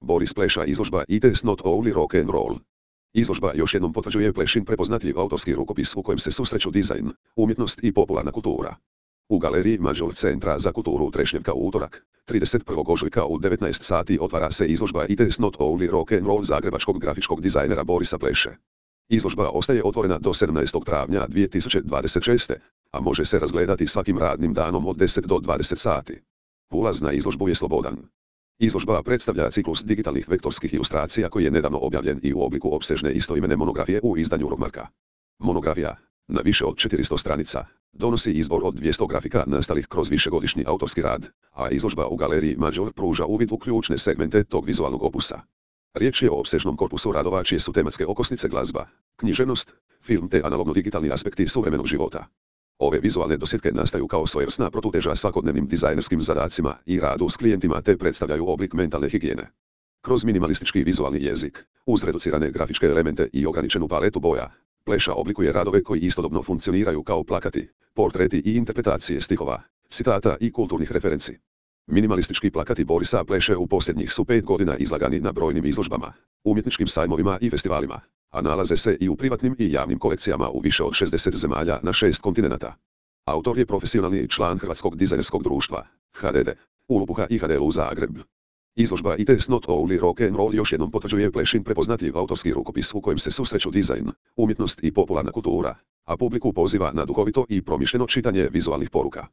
Boris Pleša izložba It is not only rock and roll. Izložba još jednom potvrđuje Plešin prepoznatljiv autorski rukopis u kojem se susreću dizajn, umjetnost i popularna kultura. U galeriji Mađor Centra za kulturu Trešnjevka u utorak, 31. ožujka u 19 sati otvara se izložba It is not only rock and roll zagrebačkog grafičkog dizajnera Borisa Pleše. Izložba ostaje otvorena do 17. travnja 2026. a može se razgledati svakim radnim danom od 10 do 20 sati. Ulaz na izložbu je slobodan. Izložba predstavlja ciklus digitalnih vektorskih ilustracija koji je nedavno objavljen i u obliku opsežne istoimene monografije u izdanju Rogmarka. Monografija, na više od 400 stranica, donosi izbor od 200 grafika nastalih kroz višegodišnji autorski rad, a izložba u galeriji Mađor pruža uvid u ključne segmente tog vizualnog opusa. Riječ je o opsežnom korpusu radova čije su tematske okosnice glazba, književnost, film te analogno-digitalni aspekti suvremenog života. Ove vizualne dosjetke nastaju kao svojevrsna protuteža svakodnevnim dizajnerskim zadacima i radu s klijentima te predstavljaju oblik mentalne higijene. Kroz minimalistički vizualni jezik, uz reducirane grafičke elemente i ograničenu paletu boja, Pleša oblikuje radove koji istodobno funkcioniraju kao plakati, portreti i interpretacije stihova, citata i kulturnih referenci. Minimalistički plakati Borisa Pleše u posljednjih su 5 godina izlagani na brojnim izložbama, umjetničkim sajmovima i festivalima, a nalaze se i u privatnim i javnim kolekcijama u više od 60 zemalja na 6 kontinenata. Autor je profesionalni član Hrvatskog dizajnerskog društva, HDD, u Lubuha i HDL u Zagreb. Izložba It is not only rock and roll još jednom potvrđuje Plešin prepoznatljiv autorski rukopis u kojem se susreću dizajn, umjetnost i popularna kultura, a publiku poziva na duhovito i promišljeno čitanje vizualnih poruka.